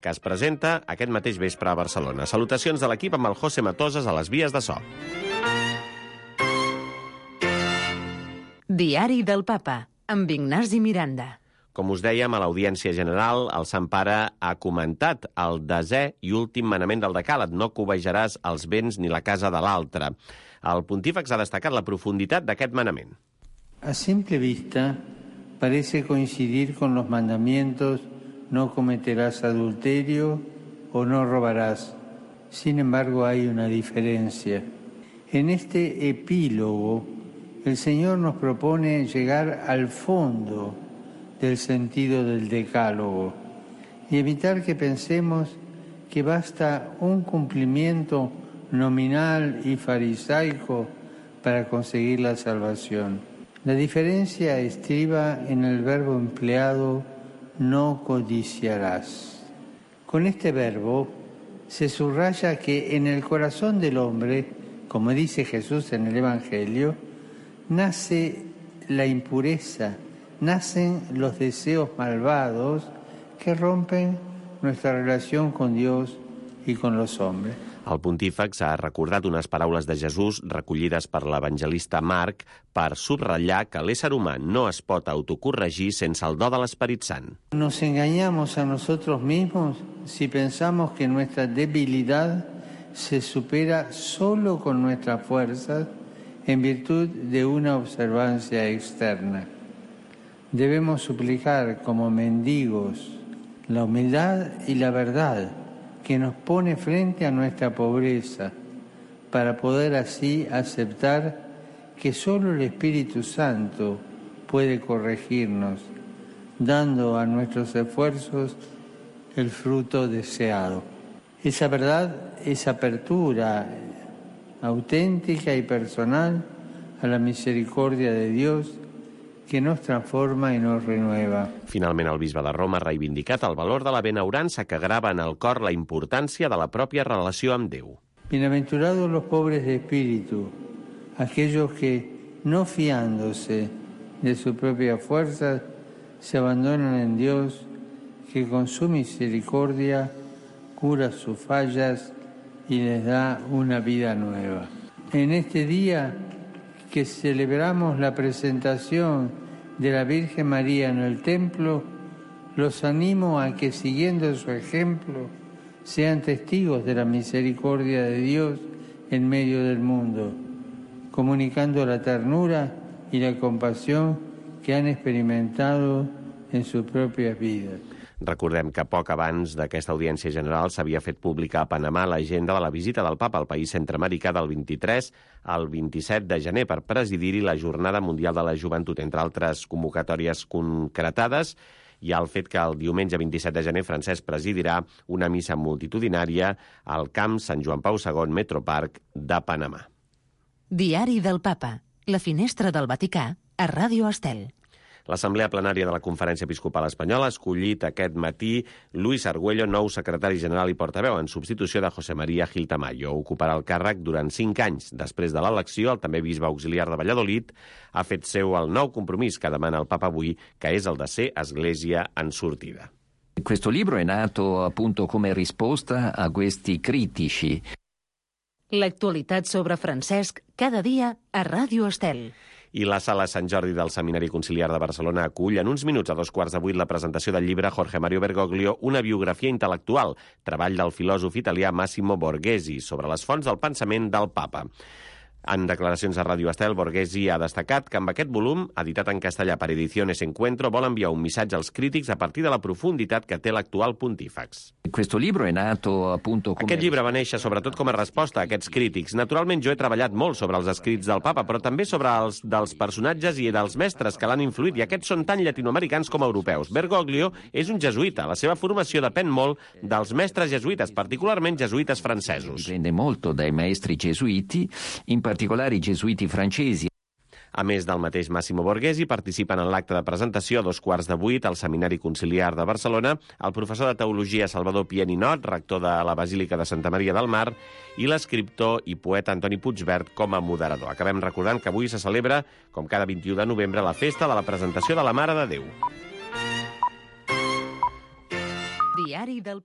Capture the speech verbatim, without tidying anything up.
que es presenta aquest mateix vespre a Barcelona. Salutacions de l'equip amb el José Matoses a les vies de so. Diari del Papa, amb Ignasi Miranda. Com us dèiem, a l'Audiència General, el Sant Pare ha comentat el desè i últim manament del Decàleg: no cobejaràs els béns ni la casa de l'altre. El pontífex ha destacat la profunditat d'aquest manament. A simple vista, parece coincidir con los mandamientos no cometerás adulterio o no robarás. Sin embargo, hay una diferencia. En este epílogo, el Señor nos propone llegar al fondo del sentido del decálogo y evitar que pensemos que basta un cumplimiento nominal y farisaico para conseguir la salvación. La diferencia estriba en el verbo empleado, no codiciarás. Con este verbo se subraya que en el corazón del hombre, como dice Jesús en el Evangelio, nace la impureza, nacen los deseos malvados que rompen nuestra relación con Dios y con los hombres. El pontífex ha recordat unes paraules de Jesús recollides per l'evangelista Marc per subratllar que l'ésser humà no es pot autocorregir sense el do de l'Esperit Sant. Nos engañamos a nosotros mismos si pensamos que nuestra debilidad se supera solo con nuestras fuerzas en virtud de una observancia externa. Debemos suplicar como mendigos la humildad y la verdad que nos pone frente a nuestra pobreza, para poder así aceptar que solo el Espíritu Santo puede corregirnos, dando a nuestros esfuerzos el fruto deseado. Esa verdad es apertura auténtica y personal a la misericordia de Dios, que nos transforma i nos renueva. Finalment, el bisbe de Roma ha reivindicat el valor de la benaurança que grava en el cor la importància de la pròpia relació amb Déu. Bienaventurados los pobres de espíritu, aquellos que, no fiándose de su propia fuerza, se abandonan en Dios, que con su misericordia cura sus fallas y les da una vida nueva. En este día que celebramos la presentación de la Virgen María en el templo, los animo a que, siguiendo su ejemplo, sean testigos de la misericordia de Dios en medio del mundo, comunicando la ternura y la compasión que han experimentado en sus propias vidas. Recordem que poc abans d'aquesta audiència general s'havia fet pública a Panamà l'agenda de la visita del papa al país centreamericà del vint-i-tres al vint-i-set de gener per presidir-hi la Jornada Mundial de la Joventut, entre altres convocatòries concretades. Hi ha el fet que el diumenge vint-i-set de gener Francesc presidirà una missa multitudinària al Camp Sant Joan Pau segon Metroparc de Panamà. Diari del Papa, la finestra del Vaticà, a Ràdio Estel. L'Assemblea Plenària de la Conferència Episcopal Espanyola ha escollit aquest matí Luis Argüello, nou secretari general i portaveu, en substitució de José María Gil Tamayo. Ocuparà el càrrec durant cinc anys. Després de l'elecció, el també bisbe auxiliar de Valladolid ha fet seu el nou compromís que demana el Papa avui, que és el de ser església en sortida. Questo libro è nato appunto come risposta a questi critici. L'actualitat sobre Francesc, cada dia a Ràdio Estel. I la Sala Sant Jordi del Seminari Conciliar de Barcelona acull en uns minuts a dos quarts de vuit la presentació del llibre Jorge Mario Bergoglio, una biografia intel·lectual, treball del filòsof italià Massimo Borghesi, sobre les fonts del pensament del Papa. En declaracions a Ràdio Estel, Borghesi ha destacat que amb aquest volum, editat en castellà per Ediciones Encuentro, vol enviar un missatge als crítics a partir de la profunditat que té l'actual pontífex. Questo libro è nato appunto come... Aquest llibre va néixer sobretot com a resposta a aquests crítics. Naturalment, jo he treballat molt sobre els escrits del Papa, però també sobre els dels personatges i dels mestres que l'han influït, i aquests són tan llatinoamericans com europeus. Bergoglio és un jesuïta. La seva formació depèn molt dels mestres jesuïtes, particularment jesuïtes francesos. Dipende molto dai maestri gesuiti, in particolare i gesuiti francesi. A més del mateix Massimo Borghesi, participen en l'acte de presentació a dos quarts de vuit al Seminari Conciliar de Barcelona el professor de Teologia Salvador Pieninot, rector de la Basílica de Santa Maria del Mar, i l'escriptor i poeta Antoni Puigvert com a moderador. Acabem recordant que avui se celebra, com cada vint-i-u de novembre, la festa de la presentació de la Mare de Déu. Diari del